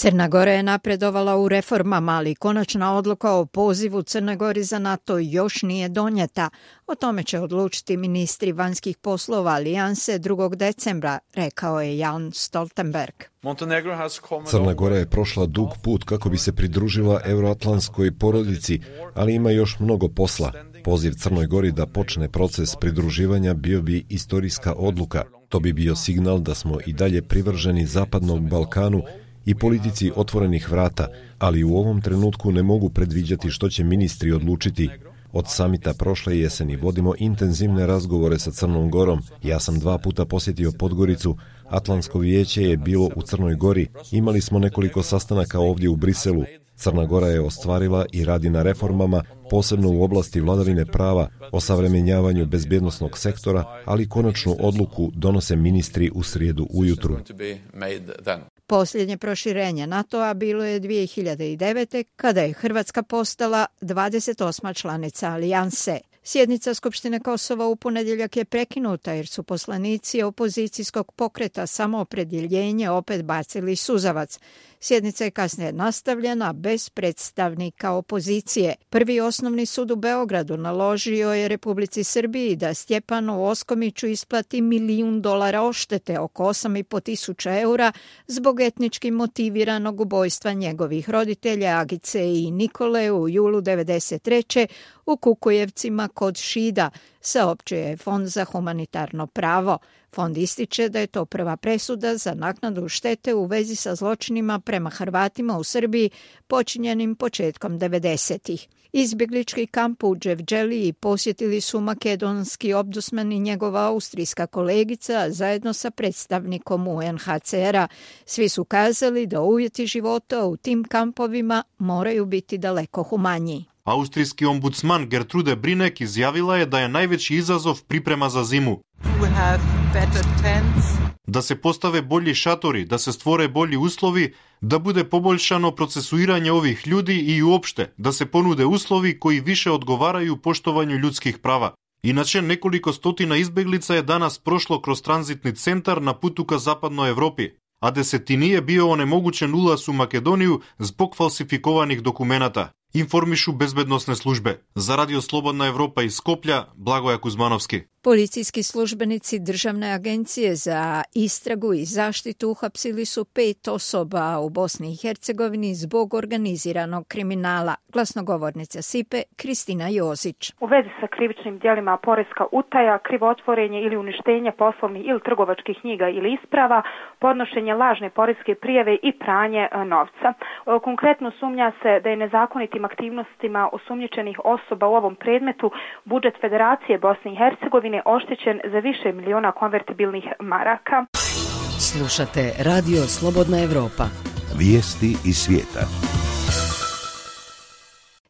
Crna Gora je napredovala u reformama, ali konačna odluka o pozivu Crne Gori za NATO još nije donijeta. O tome će odlučiti ministri vanjskih poslova alijanse 2. decembra, rekao je Jan Stoltenberg. Crna Gora je prošla dug put kako bi se pridružila euroatlantskoj porodici, ali ima još mnogo posla. Poziv Crnoj Gori da počne proces pridruživanja bio bi istorijska odluka. To bi bio signal da smo i dalje privrženi Zapadnom Balkanu i politici otvorenih vrata, ali u ovom trenutku ne mogu predviđati što će ministri odlučiti. Od samita prošle jeseni vodimo intenzivne razgovore sa Crnom Gorom. Ja sam 2 puta posjetio Podgoricu, Atlantsko vijeće je bilo u Crnoj Gori, imali smo nekoliko sastanaka ovdje u Briselu. Crna Gora je ostvarila i radi na reformama, posebno u oblasti vladavine prava, osavremenjavanju bezbjednosnog sektora, ali konačnu odluku donose ministri u srijedu ujutru. Posljednje proširenje NATO-a bilo je 2009. kada je Hrvatska postala 28. članica alijanse. Sjednica Skupštine Kosova u ponedjeljak je prekinuta jer su poslanici opozicijskog pokreta Samoopredjeljenje opet bacili suzavac. Sjednica je kasnije nastavljena bez predstavnika opozicije. Prvi osnovni sud u Beogradu naložio je Republici Srbiji da Stjepanu Oskomiću isplati $1 milijun odštete, oko 8.500 eura, zbog etnički motiviranog ubojstva njegovih roditelja Agice i Nikole u julu 1993. u Kukujevcima kod Šida, saopćio je Fond za humanitarno pravo. Fond ističe da je to prva presuda za naknadu štete u vezi sa zločinima prema Hrvatima u Srbiji počinjenim početkom 90-ih. Izbjeglički kamp u Dževdželiji posjetili su makedonski ombudsman i njegova austrijska kolegica zajedno sa predstavnikom UNHCR-a. Svi su kazali da uvjeti života u tim kampovima moraju biti daleko humaniji. Austrijski ombudsman Gertrude Brinek izjavila je da je najveći izazov priprema za zimu. Da se postave bolji šatori, da se stvore bolji uslovi, da bude poboljšano procesuiranje ovih ljudi i uopšte da se ponude uslovi koji više odgovaraju poštovanju ljudskih prava. Inače, nekoliko stotina izbjeglica je danas prošlo kroz tranzitni centar na putu ka zapadnoj Evropi, a desetini je bio onemogućen ulaz u Makedoniju zbog falsifikovanih dokumenata, informišu bezbednosne službe. Za Radio Slobodna Evropa iz Skoplja, Blagoja Kuzmanovski. Policijski službenici Državne agencije za istragu i zaštitu uhapsili su 5 osoba u Bosni i Hercegovini zbog organiziranog kriminala. Glasnogovornica SIPE Kristina Jozić. U vezi sa krivičnim djelima poreska utaja, krivotvorenje ili uništenje poslovnih ili trgovačkih knjiga ili isprava, podnošenje lažne poreske prijave i pranje novca. Konkretno sumnja se da je nezakonitim aktivnostima osumnjičenih osoba u ovom predmetu budžet Federacije Bosne i Hercegovine oštećen za više miliona konvertibilnih maraka. Slušate Radio Slobodna Evropa. Vijesti iz svijeta.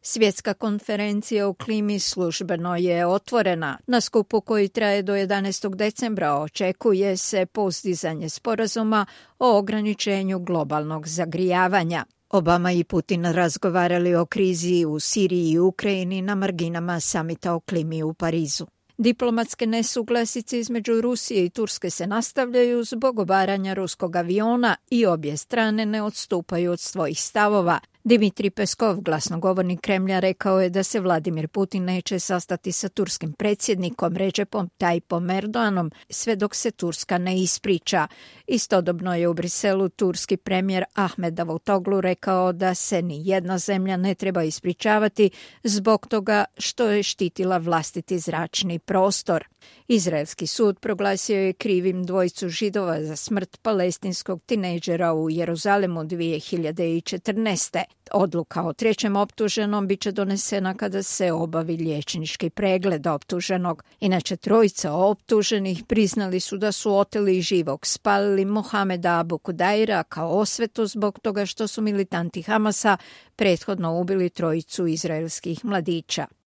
Svjetska konferencija o klimi službeno je otvorena. Na skupu koji traje do 11. decembra očekuje se postizanje sporazuma o ograničenju globalnog zagrijavanja. Obama i Putin razgovarali o krizi u Siriji i Ukrajini na marginama samita o klimi u Parizu. Diplomatske nesuglasice između Rusije i Turske se nastavljaju zbog obaranja ruskog aviona i obje strane ne odstupaju od svojih stavova. Dimitrij Peskov, glasnogovornik Kremlja, rekao je da se Vladimir Putin neće sastati sa turskim predsjednikom Recepom Tayyipom Erdoganom sve dok se Turska ne ispriča. Istodobno je u Briselu turski premijer Ahmed Davutoglu rekao da se ni jedna zemlja ne treba ispričavati zbog toga što je štitila vlastiti zračni prostor. Izraelski sud proglasio je krivim dvojicu Židova za smrt palestinskog tinejdžera u Jeruzalemu 2014. Odluka o trećem optuženom biće donesena kada se obavi liječnički pregled optuženog. Inače, trojica optuženih priznali su da su oteli živog spalili Mohameda Abu Kudaira kao osvetu zbog toga što su militanti Hamasa prethodno ubili trojicu izraelskih mladića.